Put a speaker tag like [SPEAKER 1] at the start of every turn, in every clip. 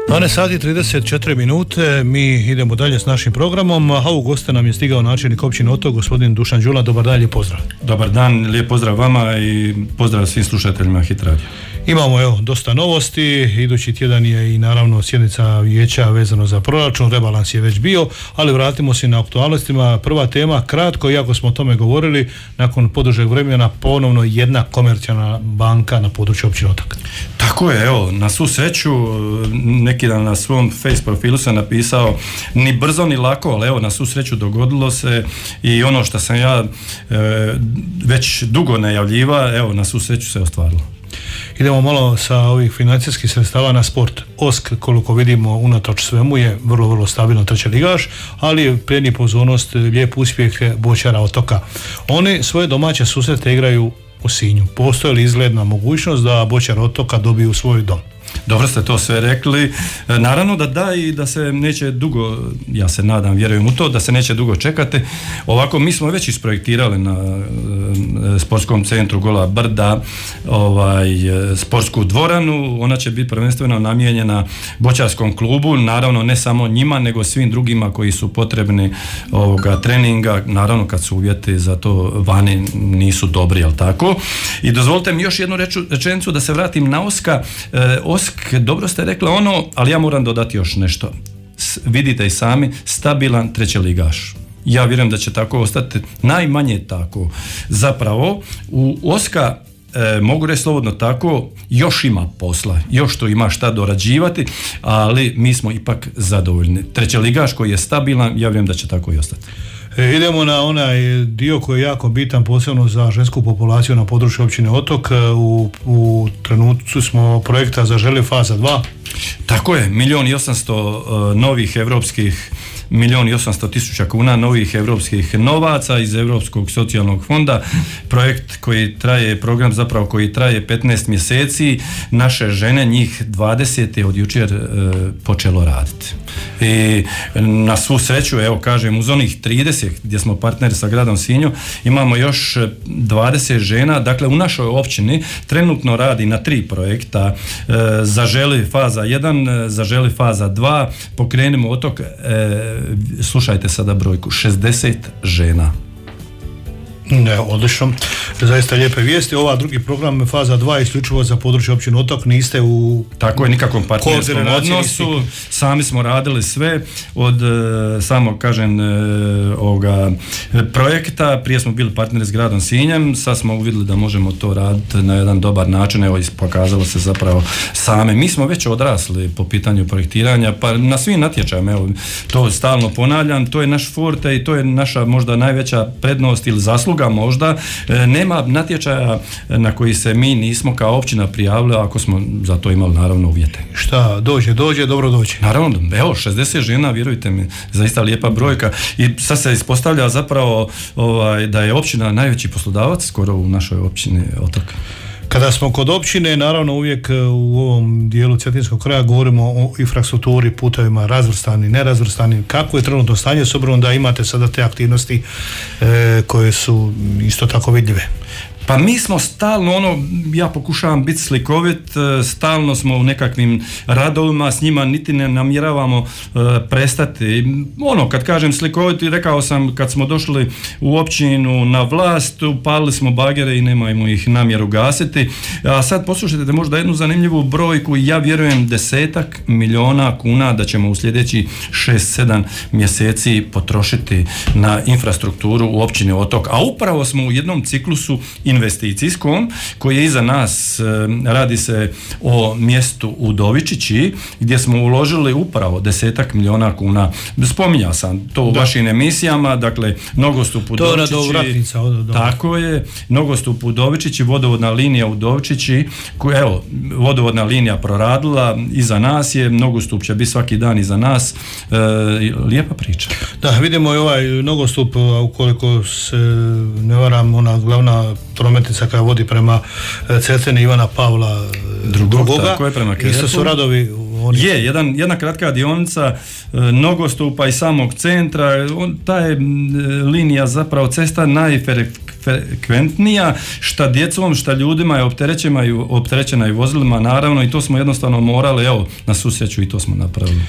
[SPEAKER 1] 12 sati 34 minute, mi idemo dalje s našim programom, a u goste nam je stigao načelnik općine Otok, gospodin Dušan Đula. Dobar dan, lijep pozdrav.
[SPEAKER 2] Dobar dan, lijep pozdrav vama i pozdrav svim slušateljima Hit Radio.
[SPEAKER 1] Imamo dosta novosti, idući tjedan je i naravno sjednica vijeća vezano za proračun, rebalans je već bio, ali vratimo se na aktualnostima. Prva tema, kratko, iako smo o tome govorili, nakon podužeg vremena ponovno jedna komercijalna banka na području općine Otok.
[SPEAKER 2] Tako je, evo, na svu sreću, neki dan na svom face profilu sam napisao ni brzo ni lako, ali evo, na svu sreću dogodilo se i ono što sam ja već dugo najavljiva, evo, na svu sreću se ostvarilo.
[SPEAKER 1] Idemo malo sa ovih financijskih sredstava na sport. OSK, koliko vidimo, unatoč svemu je vrlo, vrlo stabilno treći ligaš, ali prijeni pozornost lijep uspjeh Boćara Otoka. Oni svoje domaće susrete igraju u Sinju. Postoji li izgledna mogućnost da Boćar Otoka dobiju svoj dom?
[SPEAKER 2] Dobro ste to sve rekli. Naravno da i da se neće dugo, ja se nadam, vjerujem u to, da se neće dugo čekati. Ovako, mi smo već isprojektirali na sportskom centru Gola Brda sportsku dvoranu. Ona će biti prvenstveno namijenjena boćarskom klubu, naravno ne samo njima, nego svim drugima koji su potrebni treninga, naravno kad su uvjeti za to vani nisu dobri, jel tako? I dozvolite mi još jednu rečenicu da se vratim na Oska. Osk, dobro ste rekli ali ja moram dodati još nešto. Vidite i sami, stabilan trećeligaš. Ja vjerujem da će tako ostati, najmanje tako. Zapravo, u Oska, mogu reći slobodno tako, još ima posla, još to ima šta dorađivati, ali mi smo ipak zadovoljni. Trećeligaš koji je stabilan, ja vjerujem da će tako i ostati.
[SPEAKER 1] Idemo na onaj dio koji je jako bitan, posebno za žensku populaciju na području općine Otok. U trenutku smo projekta Zaželi faza 2.
[SPEAKER 2] Tako je, 1.800.000 novih evropskih 1.800.000 kuna novih evropskih novaca iz Europskog socijalnog fonda. Projekt koji traje, program zapravo koji traje 15 mjeseci. Naše žene, njih 20 je od jučer počelo raditi. I na svu sreću, evo kažem, uz onih 30 gdje smo partneri sa gradom Sinju, imamo još 20 žena. Dakle, u našoj općini trenutno radi na 3 projekta. Zaželi faza 1, Zaželi faza 2, Pokrenimo otok, slušajte sada brojku, 60 žena.
[SPEAKER 1] Ne, odlično. Zaista lijepe vijesti. Ova drugi program, faza 2, isključivo za područje općine Otok, niste u...
[SPEAKER 2] Tako je, nikakvom partnerskom odnosu. Sami smo radili sve od samog, kažem, ovoga projekta. Prije smo bili partneri s gradom Sinjem, sad smo uvidjeli da možemo to raditi na jedan dobar način. Evo, pokazalo se zapravo same. Mi smo već odrasli po pitanju projektiranja, pa na svim natječajima, evo, to stalno ponavljam, to je naš forte i to je naša možda najveća prednost ili zasluga možda. Nema natječaja na koji se mi nismo kao općina prijavili ako smo za to imali naravno uvjete.
[SPEAKER 1] Šta dođe, dobro dođe.
[SPEAKER 2] Naravno, evo 60 žena, vjerujte mi, zaista lijepa brojka i sad se ispostavlja zapravo da je općina najveći poslodavac skoro u našoj općini Otok.
[SPEAKER 1] Kada smo kod općine, naravno uvijek u ovom dijelu cetinskog kraja govorimo o infrastrukturi, putovima, razvrstani, nerazvrstani. Kako je trenutno stanje s obzirom da imate sada te aktivnosti koje su isto tako vidljive?
[SPEAKER 2] Pa mi smo stalno, ja pokušavam biti slikovit, stalno smo u nekakvim radovima, s njima niti ne namjeravamo prestati. Kad kažem slikovit, rekao sam kad smo došli u općinu na vlast, upalili smo bagere i nemojmo ih namjeru gasiti. A sad poslušajte možda jednu zanimljivu brojku, ja vjerujem 10 milijuna kuna da ćemo u sljedeći 6-7 mjeseci potrošiti na infrastrukturu u općini Otok. A upravo smo u jednom ciklusu investicijskom koji je iza nas, radi se o mjestu Udovičići gdje smo uložili upravo 10 milijuna kuna. Spominjao sam to u vašim emisijama, dakle nogostup Udovičići, tako je, nogostup Udovičići, vodovodna linija Udovičići, evo, vodovodna linija proradila, iza nas je, nogostup će biti svaki dan iza nas, lijepa priča.
[SPEAKER 1] Da, vidimo i ovaj nogostup, ukoliko se ne varam, ona glavna prometnica koja vodi prema Cetini Ivana Pavla II.
[SPEAKER 2] Tako je, prema Kerepu.
[SPEAKER 1] Isto su radovi.
[SPEAKER 2] Je, jedna kratka dionica nogostupa i samog centra, ta je linija zapravo cesta frekventnija, šta djecom, šta ljudima je opterećena i vozilima, naravno, i to smo jednostavno morali, evo, na susreću i to smo napravili.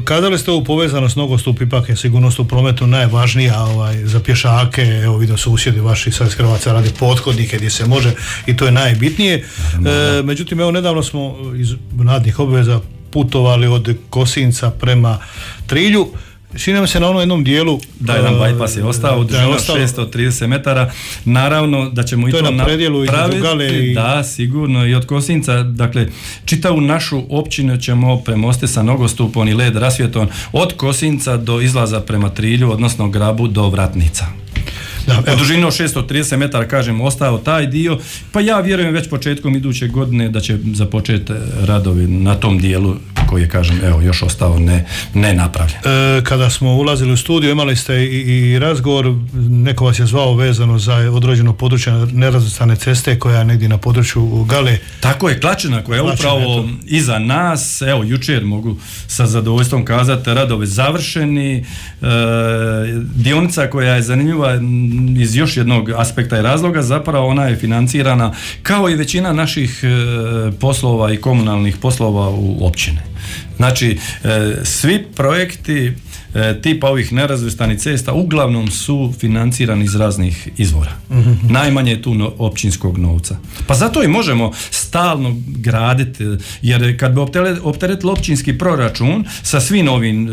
[SPEAKER 1] Kada li ste ovu povezanost nogostup, ipak je sigurnost u prometu najvažnija za pješake, evo vidio susjedi vaši sad iz Hrvatska radi pothodnike gdje se može i to je najbitnije. Međutim, evo nedavno smo iz radnih obveza putovali od Kosinca prema Trilju. Čini se na onom jednom dijelu
[SPEAKER 2] da jedan bypass je ostao u dužini 630 metara. Naravno da ćemo i to napraviti. Da, sigurno, i od Kosinca, dakle, čitavu našu općinu ćemo premostiti sa nogostupom i led rasvjetom od Kosinca do izlaza prema Trilju, odnosno Grabu do Vratnica. U dužini od 630 metara, kažem, ostao taj dio, pa ja vjerujem već početkom iduće godine da će započeti radovi na tom dijelu koji je, kažem, evo, još ostao ne napravljen.
[SPEAKER 1] Kada smo ulazili u studiju, imali ste i razgovor, neko vas je zvao vezano za određeno područje nerazvrstane ceste koja je negdje na području Gale.
[SPEAKER 2] Tako je, Klačina koja je upravo iza nas, evo, jučer mogu sa zadovoljstvom kazati, radovi završeni, dionica koja je zanimljiva iz još jednog aspekta i razloga, zapravo ona je financirana kao i većina naših poslova i komunalnih poslova u općine. Znači, svi projekti tipa ovih nerazvrstanih cesta uglavnom su financirani iz raznih izvora. Najmanje je tu općinskog novca. Pa zato i možemo stalno graditi, jer kad bi opteretili općinski proračun sa svim ovim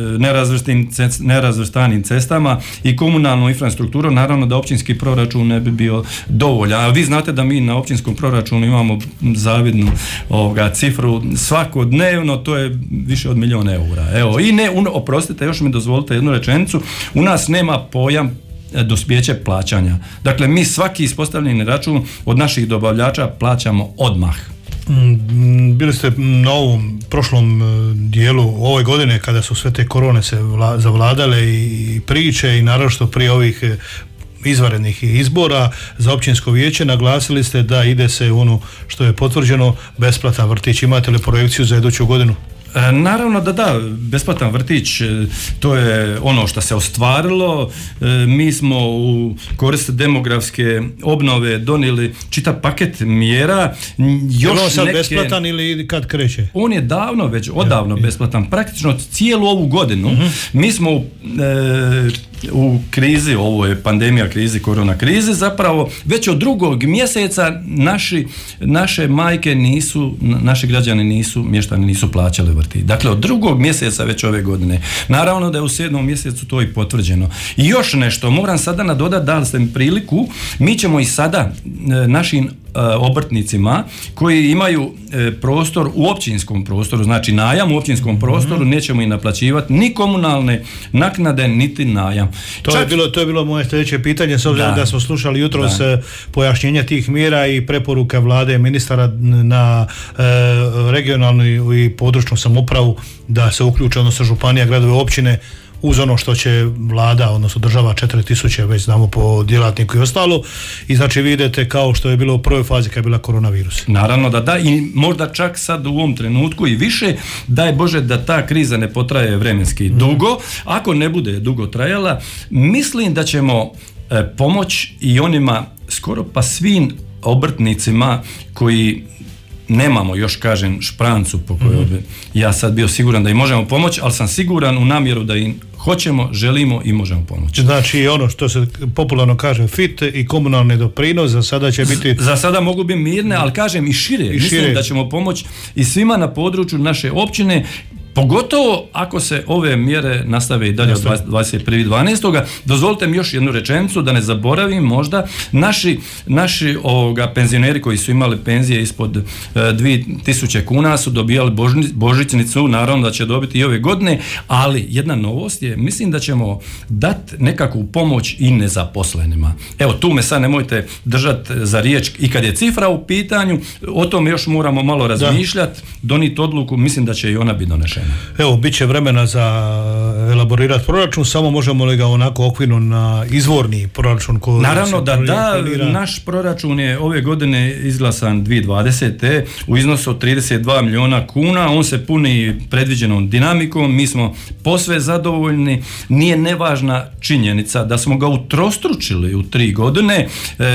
[SPEAKER 2] nerazvrstanim cestama i komunalnom infrastrukturom, naravno da općinski proračun ne bi bio dovoljan. A vi znate da mi na općinskom proračunu imamo zavidnu cifru svakodnevno, to je više od 1 milijun eura. Evo, i oprostite, još mi dozvolite jednu rečenicu, u nas nema pojam dospjeće plaćanja. Dakle, mi svaki ispostavljeni račun od naših dobavljača plaćamo odmah.
[SPEAKER 1] Bili ste na ovom prošlom dijelu ove godine kada su sve te korone se zavladale i priče i naravno što prije ovih izvanrednih izbora za općinsko vijeće, naglasili ste da ide se u ono što je potvrđeno, besplatan vrtić. Imate li projekciju za iduću godinu?
[SPEAKER 2] Naravno da, besplatan vrtić, to je ono što se ostvarilo. Mi smo u korist demografske obnove donijeli čitav paket mjera.
[SPEAKER 1] Je on sad besplatan ili kad kreće?
[SPEAKER 2] On je odavno besplatan, praktično cijelu ovu godinu. Mi smo u krizi, ovo je pandemija krizi, korona krize, zapravo već od 2. mjeseca naše majke naši građani mještani nisu plaćali vrtić. Dakle, od 2. mjeseca već ove godine. Naravno da je u 7. mjesecu to i potvrđeno. I još nešto, moram sada nadodati, dali ste mi priliku, mi ćemo i sada našim obrtnicima koji imaju prostor u općinskom prostoru, znači najam u općinskom prostoru, nećemo i naplaćivati ni komunalne naknade, niti najam.
[SPEAKER 1] To je bilo moje sljedeće pitanje, s obzirom da smo slušali jutros pojašnjenja tih mjera i preporuka vlade ministara na regionalnu i područnu samoupravu da se uključe, odnosno županija, gradove, općine, uz ono što će vlada, odnosno država 4.000, već znamo po djelatniku i ostalo, i znači vi idete kao što je bilo u prvoj fazi kad je bila koronavirus.
[SPEAKER 2] Naravno da, i možda čak sad u ovom trenutku i više, daj Bože da ta kriza ne potraje vremenski dugo. Ako ne bude dugo trajala, mislim da ćemo pomoć i onima skoro pa svim obrtnicima koji nemamo još, kažem, šprancu po kojoj bi ja sad bio siguran da im možemo pomoći, ali sam siguran u namjeru da im hoćemo, želimo i možemo pomoći.
[SPEAKER 1] Znači ono što se popularno kaže FIT i komunalni doprinos za sada će biti...
[SPEAKER 2] Za sada mogu biti mirne, ali kažem i šire. Mislim da ćemo pomoći i svima na području naše općine, pogotovo ako se ove mjere nastave i dalje od 21.12. Dozvolite mi još jednu rečenicu da ne zaboravim možda. Naši penzioneri koji su imali penzije ispod 2.000 kuna su dobijali božićnicu, naravno da će dobiti i ove godine, ali jedna novost je, mislim da ćemo dati nekakvu pomoć i nezaposlenima. Evo, tu me sad nemojte držati za riječ i kad je cifra u pitanju, o tome još moramo malo razmišljati, donijeti odluku, mislim da će i ona biti donešena.
[SPEAKER 1] Evo, bit će vremena za elaborirati proračun, samo možemo li ga onako okvirno na izvorni proračun?
[SPEAKER 2] Naravno da naš proračun je ove godine izglasan 2020. u iznosu od 32 milijuna kuna, on se puni predviđenom dinamikom, mi smo posve zadovoljni, nije nevažna činjenica da smo ga utrostručili u 3 godine,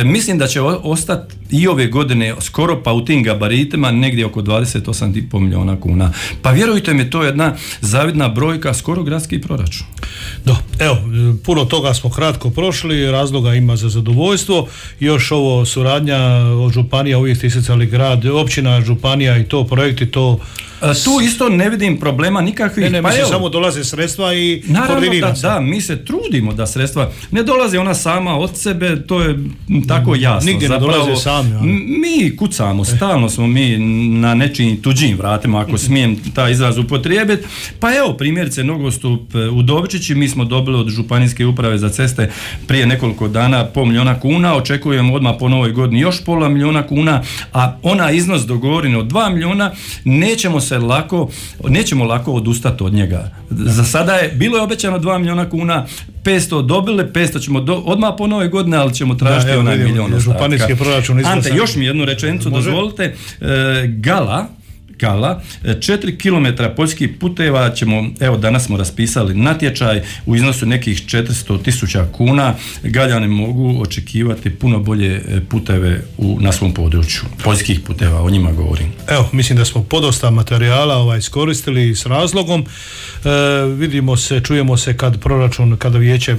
[SPEAKER 2] mislim da će ostati i ove godine skoro pa u tim gabaritima negdje oko 28,5 milijuna kuna. Pa vjerujte mi, to je jedna zavidna brojka, skoro gradski proračun.
[SPEAKER 1] Evo, puno toga smo kratko prošli, razloga ima za zadovoljstvo, još ovo suradnja od županija, uvijek ste isticali grad, općina, županija i to projekti, to...
[SPEAKER 2] Tu isto ne vidim problema nikakvih.
[SPEAKER 1] Ne, mislim, samo dolaze sredstva i
[SPEAKER 2] koordinira se. Da, mi se trudimo da sredstva ne dolaze ona sama od sebe, to je tako jasno.
[SPEAKER 1] Nigdje ne dolaze sami.
[SPEAKER 2] Mi kucamo, stalno smo mi na nečijim tuđim vratima, ako smijem taj izraz upotrijebiti. Pa evo, primjerice nogostup u Dovčići, mi smo dobili od Županijske uprave za ceste prije nekoliko dana 500 milijuna kuna, očekujemo odmah po novoj godini još 500 milijuna kuna, a onaj iznos dogovoren od 2 milijuna nećemo lako odustati od njega. Za sada bilo je obećano 2 milijuna kuna, 500 dobili, 500 ćemo odmah po nove godine, ali ćemo tražiti onaj milijon ostatka. Ante, još mi jednu rečenicu dozvolite. Gala, 4 km poljskih puteva ćemo, evo danas smo raspisali natječaj u iznosu nekih 400.000 kuna, Galjani mogu očekivati puno bolje puteve na svom području, poljskih puteva, o njima govorim.
[SPEAKER 1] Evo, mislim da smo podosta materijala iskoristili s razlogom, vidimo se, čujemo se kada vijeće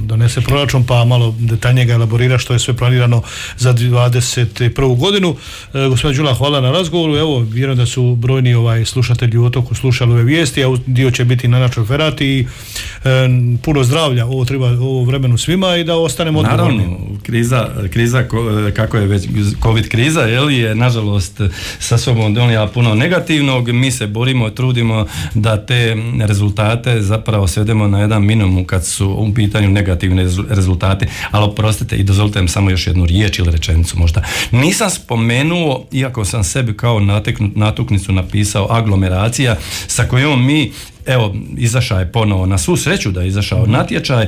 [SPEAKER 1] donese proračun, pa malo detaljnije ga elaborira što je sve planirano za 2021. godinu. Gospodin Đula, hvala na razgovoru. Evo, vjerujem da su brojni slušatelji u Otoku slušali ove vijesti, a dio će biti na našoj ferati i puno zdravlja, ovo treba ovo vremenu svima i da ostanemo odgovorni.
[SPEAKER 2] Naravno, kriza kako je već COVID kriza, je nažalost sa sobom donijela puno negativnog, mi se borimo, trudimo da te rezultate zapravo svedemo na jedan minimum kad su u pitanju negativni rezultati, ali oprostite i dozvolite mi samo još jednu riječ ili rečenicu možda. Nisam spomenuo, iako sam sebi kao natuknicu napisao aglomeracija, sa kojom mi izašao je ponovo, na svu sreću da je izašao natječaj.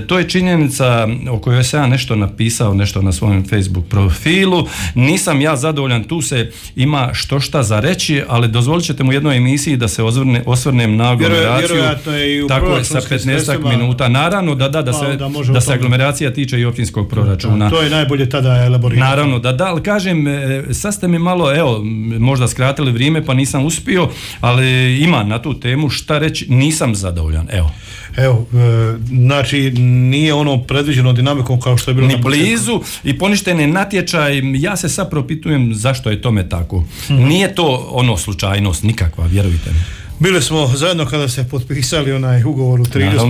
[SPEAKER 2] To je činjenica o kojoj sam ja nešto napisao, nešto na svojem Facebook profilu. Nisam ja zadovoljan, tu se ima što šta za reći, ali dozvolit ćete mu u jednoj emisiji da se osvrnem na aglomeraciju. Tako je, sa 15 minuta. Naravno da se aglomeracija tiče i općinskog proračuna.
[SPEAKER 1] To je najbolje tada elaborirati.
[SPEAKER 2] Naravno ali kažem, sad ste mi malo, možda skratili vrijeme pa nisam uspio, ali ima na tu temu šta reći, nisam zadovoljan.
[SPEAKER 1] Evo, znači nije ono predviđeno dinamikom kao što je bilo
[SPEAKER 2] ni blizu i poništen je natječaj. Ja se sad propitujem zašto je tome tako. Nije to slučajnost nikakva, vjerujte mi.
[SPEAKER 1] Bili smo zajedno kada ste potpisali onaj ugovor u Trilju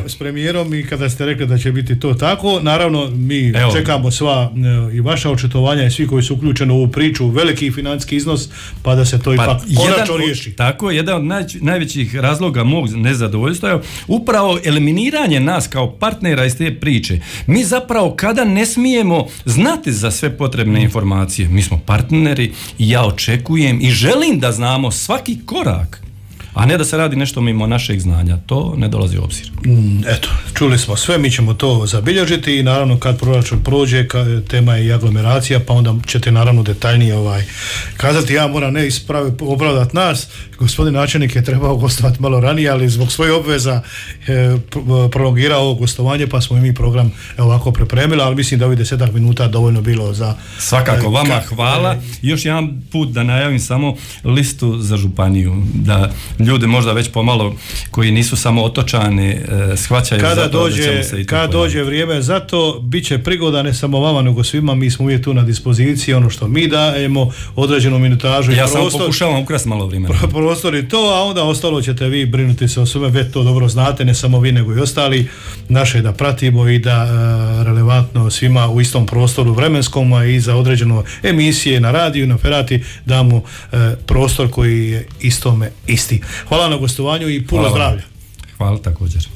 [SPEAKER 1] s premijerom i kada ste rekli da će biti to tako. Naravno, mi čekamo sva i vaša očitovanja i svi koji su uključeni u ovu priču, veliki financijski iznos, pa da se to ipak konačno riješi.
[SPEAKER 2] Tako, jedan od najvećih razloga mog nezadovoljstva je upravo eliminiranje nas kao partnera iz te priče. Mi zapravo kada ne smijemo znati za sve potrebne informacije, mi smo partneri i ja očekujem i želim da znamo svaki korak, a ne da se radi nešto mimo našeg znanja. To ne dolazi u obzir.
[SPEAKER 1] Eto, čuli smo sve, mi ćemo to zabilježiti i naravno kad proračun prođe, tema je i aglomeracija, pa onda ćete naravno detaljnije kazati. Ja moram opravdati nas, gospodin načelnik je trebao gostovati malo ranije, ali zbog svojih obveza prolongirao ovo gostovanje, pa smo i mi program ovako pripremili, ali mislim da ovih 10 minuta dovoljno bilo za...
[SPEAKER 2] Svakako, vama hvala. Još jedan put da najavim samo listu za županiju, da ljudi možda već pomalo koji nisu samo otočani shvaćaju
[SPEAKER 1] kada dođe vrijeme za to, bit će prigoda ne samo vama nego svima, mi smo uvijek tu na dispoziciji, ono što mi dajemo, određenu minutažu i prostor.
[SPEAKER 2] Ja samo pokušavam ukrasti malo vremena.
[SPEAKER 1] Prostor i to, a onda ostalo ćete vi brinuti se o sveme, već to dobro znate, ne samo vi nego i ostali, naše da pratimo i da relevantno svima u istom prostoru vremenskom, a i za određeno emisije na radiju, na ferati damo prostor koji je istome isti. Hvala na gostovanju i puno zdravlja.
[SPEAKER 2] Hvala također.